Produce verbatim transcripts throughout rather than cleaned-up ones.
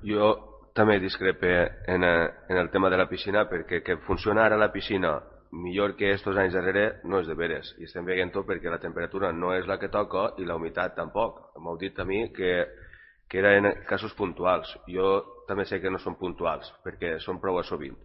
Jo també discrepe en, en el tema de la piscina, perquè que funciona ara la piscina millor que estos anys darrere no és de veres, i estem veient-ho perquè la temperatura no és la que toca i la humitat tampoc. M'heu dit a mi que, que eren casos puntuals. Jo també sé que no són puntuals, perquè són prou assovint.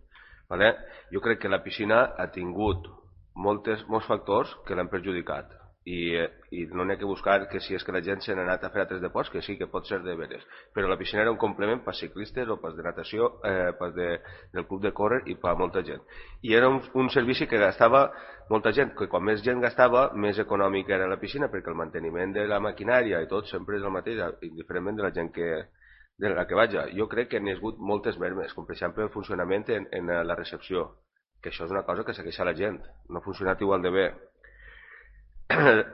Vale? Jo crec que la piscina ha tingut moltes, molts factors que l'han perjudicat. I, i no n'hi ha que buscar que si és que la gent se n'ha anat a fer altres deports, que sí, que pot ser de veres, però la piscina era un complement per ciclistes o per de natació, eh, per de, del club de córrer i per molta gent. I era un, un servici que gastava molta gent, que quan més gent gastava, més econòmic era la piscina, perquè el manteniment de la maquinària i tot sempre és el mateix, indiferentment de la gent que, de la que vaja. Jo crec que n'hi ha hagut moltes mermes, com per exemple el funcionament en, en la recepció, que això és una cosa que segueix a la gent, no ha funcionat igual de bé.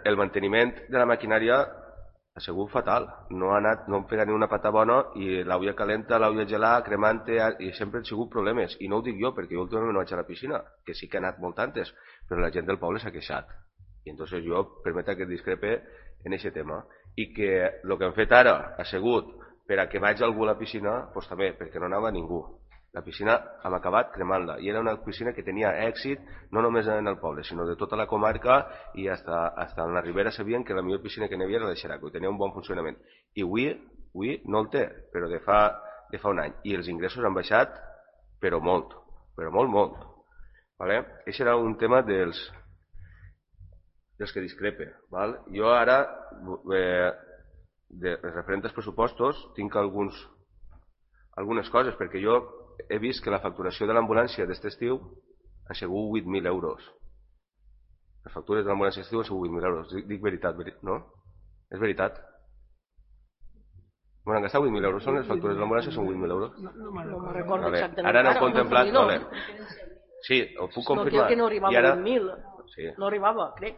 El manteniment de la maquinària ha sigut fatal, no ha anat, no han pegat ni una pata bona, i l'aulla calenta, l'aulla gelada, cremante, i sempre han sigut problemes. I no ho dic jo, perquè jo últimament no vaig a la piscina, que sí que ha anat molt antes, però la gent del poble s'ha queixat. I entonces jo permeta que discrepe en aquest tema. I que el que han fet ara ha sigut per a que vagi algú a la piscina, doncs també, perquè no anava ningú. La piscina hem acabat cremant-la, i era una piscina que tenia èxit no només en el poble, sinó de tota la comarca, i hasta, hasta en la Ribera sabien que la millor piscina que n'hi havia era la de Xeraco, i tenia un bon funcionament. I avui, avui no el té, però de fa, de fa un any. I els ingressos han baixat, però molt, però molt, molt. Vale? Això era un tema dels, dels que discrepe. Val? Jo ara, eh, de, referent als pressupostos, tinc alguns, algunes coses, perquè jo he vist que la facturació de l'ambulància d'aquest estiu ha sigut vuit mil euros. Les factures de l'ambulància d'estiu han sigut vuit mil euros. Dic, dic veritat, no? És veritat? Bueno, han gastat vuit mil euros. Són les factures de l'ambulància, són vuit mil euros? No, no me'n recordo vale. exactament. Ara no heu contemplat... Vale. Sí, ho puc confirmar. No, crec que no arribava a ara... vuit mil. Sí. No arribava, crec.